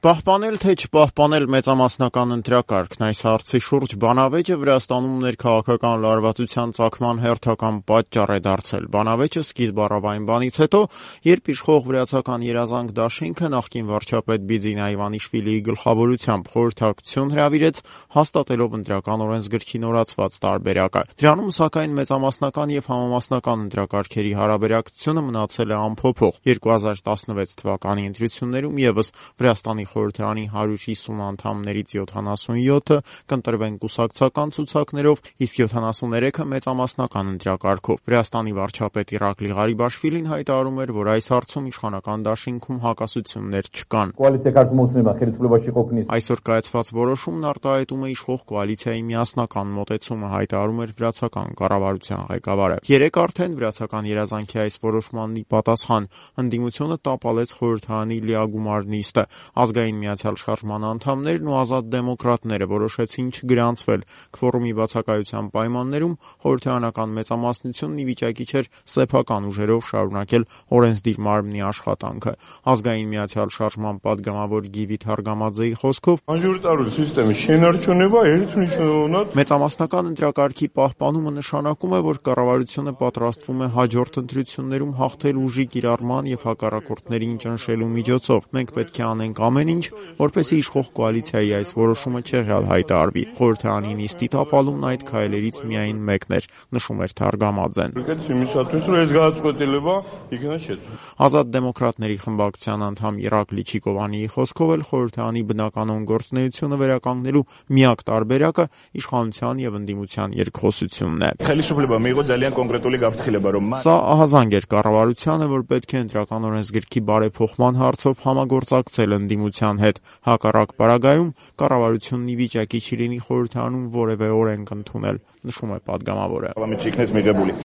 Պահպանել թե չպահպանել մեծամասնական ընտրակարգն, այս հարցի շուրջ բանավեճը Վրաստանում ներքաղաքական լարվածության ծագման հերթական պատճառ է դարձել։ Բանավեճը սկիզբ առավ այն բանից հետո, երբ իշխող վրացական երազանք դաշինքը նախկին վարչապետ Բիձինա Իվանիշվիլիի գլխավորությամբ խորհրդակցություն հրավիրեց, հաստատելով ընտրական օրենսգրքի նորացված տարբերակը։ Դրանում, սակայն, մեծամասնական եւ համամասնական ընտրակարգերի հարաբերակցությունը մնացել է անփոփոխ։ 2016 թվականի ընտրություններում եւս Վրաստանի խորհրդարանի 150 անդամներից 77-ը կընտրվեն կուսակցական ցուցակներով, իսկ 73-ը մեծամասնական ընտրակարգով։ Վրաստանի վարչապետ Իրակլի Ղարիբաշվիլին հայտարարում էր, որ այս հարցում իշխանական դաշինքում հակասություններ չկան։ Այսօր կայացված որոշումն արտահայտում է իշխող կոալիցիայի միասնական մոտեցումը, հայտարարում էր վրացական կառավարության ղեկավարը։ Երեկ արդեն վրացական երազանքի այս որոշմանն ի պատասխան ընդդիմությունը տապալեց խորհրդարանի լիագումար նիստը։ Ազգային միացյալ շարժման անդամներն ու ազատ դեմոկրատները որոշեցին չգրանցվել քվորումի բացակայության պայմաններում, խորհրդարանական մեծամասնությունն ի վիճակի չէր սեփական ուժերով շարունակել օրենսդիր մարմնի աշխատանքը։ Ազգային միացյալ շարժման պատգամավոր Գիվի Թարգամաձեի խոսքով մեծամասնական ընտրակարգի պահպանումը նշանակում է, որ կառավարությունը պատրաստվում է հաջորդ ընտրություններում հաղթել ուժի կիրառման եւ հակառակորդներին ճնշելու միջոցով։ Մենք պետք է անենք ամեն ինչ, որպեսզի իշխող կոալիցիայի այս որոշումը չեղյալ հայտարարվի։ Խորհրդարանի նիստի տապալումն այդ քայլերից միայն մեկն էր, նշում էր Թարգամաձեն։ Ազատ դեմոկրատների խմբակցության անդամ Իրակլի Չիկովանիի խոսքով էլ խորհրդարանի բնականոն գործունեությունը վերականգնելու միակ տարբերակը իշխանության եւ ընդդիմության երկխոսությունն է։ Սա ահազանգ էր կառավարությանը, որ պետք է ընտրական օրենսգրքի բարեփոխման հարցով համագործակցել ընդդիմության հետ։ Հակառակ պարագայում կառավարությունն ի վիճակի չի լինի խորհրդարանում որևէ օրենք ընդունել, նշում է պատգամավորը։